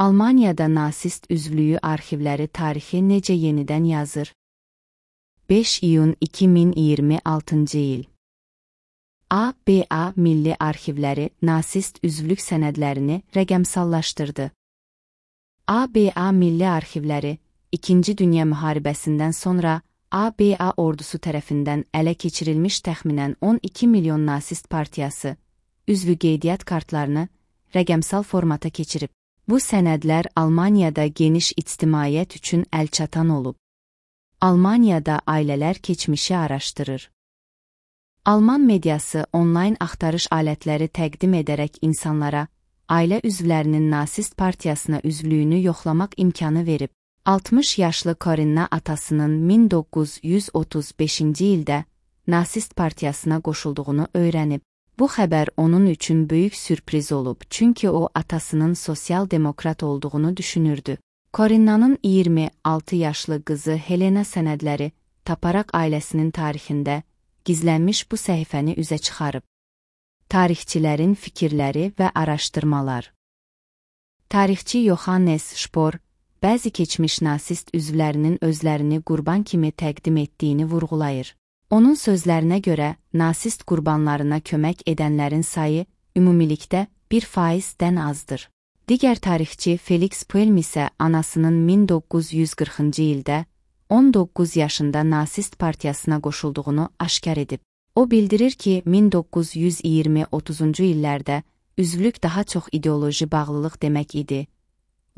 Almaniyada nasist üzvlüyü arxivləri tarixi necə yenidən yazır? 5 iyun 2026-cı il. ABA Milli Arxivləri nasist üzvlük sənədlərini rəqəmsallaşdırdı. ABA Milli Arxivləri, İkinci Dünya Müharibəsindən sonra ABA ordusu tərəfindən ələ keçirilmiş təxminən 12 milyon nasist partiyası, üzvü qeydiyyat kartlarını rəqəmsal formata keçirib. Bu sənədlər Almaniyada geniş ictimaiyyət üçün əlçatan olub. Almaniyada ailələr keçmişi araşdırır. Alman mediası onlayn axtarış alətləri təqdim edərək insanlara ailə üzvlərinin nasist partiyasına üzvlüyünü yoxlamaq imkanı verib. 60 yaşlı Corinna atasının 1935-ci ildə nasist partiyasına qoşulduğunu öyrənib. Bu xəbər onun üçün böyük sürpriz olub, çünki o atasının sosial-demokrat olduğunu düşünürdü. Corinna'nın 26 yaşlı qızı Helena sənədləri taparaq ailəsinin tarixində gizlənmiş bu səhifəni üzə çıxarıb. Tarixçilərin fikirləri və araşdırmalar. Tarixçi Johannes Spohr bəzi keçmiş nasist üzvlərinin özlərini qurban kimi təqdim etdiyini vurğulayır. Onun sözlərinə görə, nasist qurbanlarına kömək edənlərin sayı ümumilikdə 1%-dən azdır. Digər tarixçi Felix Puelm isə anasının 1940-cı ildə 19 yaşında nasist partiyasına qoşulduğunu aşkar edib. O bildirir ki, 1920-30-cu illərdə üzvlük daha çox ideoloji bağlılıq demək idi.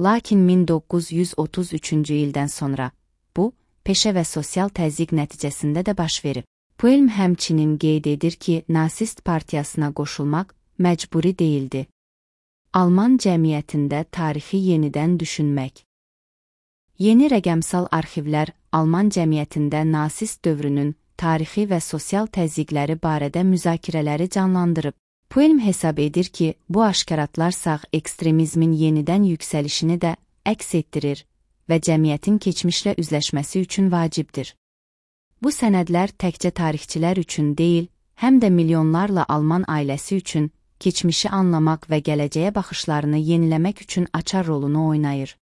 Lakin 1933-cü ildən sonra bu, peşə və sosial təzyiq nəticəsində də baş verib. Puelm həmçinin qeyd edir ki, nasist partiyasına qoşulmaq məcburi deyildi. Alman cəmiyyətində tarixi yenidən düşünmək. Yeni rəqəmsal arxivlər Alman cəmiyyətində nasist dövrünün tarixi və sosial təzyiqləri barədə müzakirələri canlandırıb. Puelm hesab edir ki, bu aşkaratlar sağ ekstremizmin yenidən yüksəlişini də əks etdirir və cəmiyyətin keçmişlə üzləşməsi üçün vacibdir. Bu sənədlər təkcə tarixçilər üçün deyil, həm də milyonlarla Alman ailəsi üçün keçmişi anlamaq və gələcəyə baxışlarını yeniləmək üçün açar rolunu oynayır.